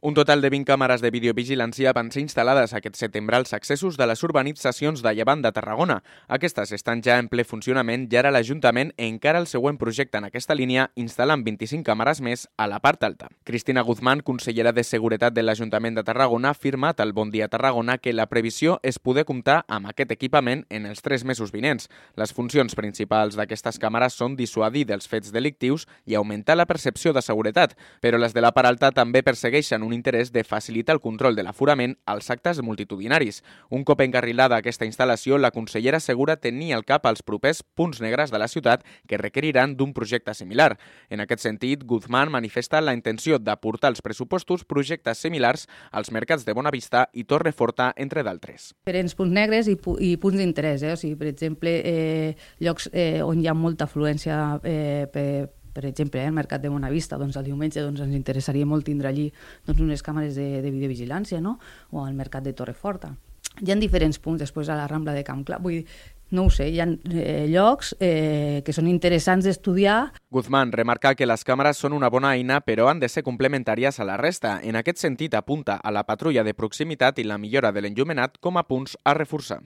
Un total de 20 càmeres de videovigilància van ser instal·lades aquest setembre als accessos de les urbanitzacions de Llevant de Tarragona. Aquestes estan ja en ple funcionament i ara l'Ajuntament encara el següent projecte en aquesta línia instal·lant 25 càmeres més a la part alta. Cristina Guzmán, consellera de Seguretat de l'Ajuntament de Tarragona, ha afirmat al Bon Dia Tarragona que la previsió és poder comptar amb aquest equipament en els 3 mesos vinents. Les funcions principals d'aquestes càmeres són dissuadir dels fets delictius i augmentar la percepció de seguretat, però les de la part alta també persegueixen un interès de facilitar el control de l'aforament als actes multitudinaris. Un cop encarrilada aquesta instal·lació, la consellera assegura tenir al cap els propers punts negres de la ciutat que requeriran d'un projecte similar. En aquest sentit, Guzmán manifesta la intenció d'aportar als pressupostos projectes similars als mercats de Bonavista i Torreforta, entre d'altres. Diferents punts negres i punts d'interès. O sigui, per exemple, llocs on hi ha molta afluència per exemple, el mercat de Bonavista, doncs el diumenge ens interessaria molt tindre allí unes càmeres de videovigilància, no? O al mercat de Torreforta. Hi ha diferents punts, després a la Rambla de Camp Clar. Vull dir, no ho sé, hi ha llocs que són interessants d'estudiar. Guzmán remarca que les càmeres són una bona eina, però han de ser complementàries a la resta. En aquest sentit, apunta a la patrulla de proximitat i la millora de l'enllumenat com a punts a reforçar.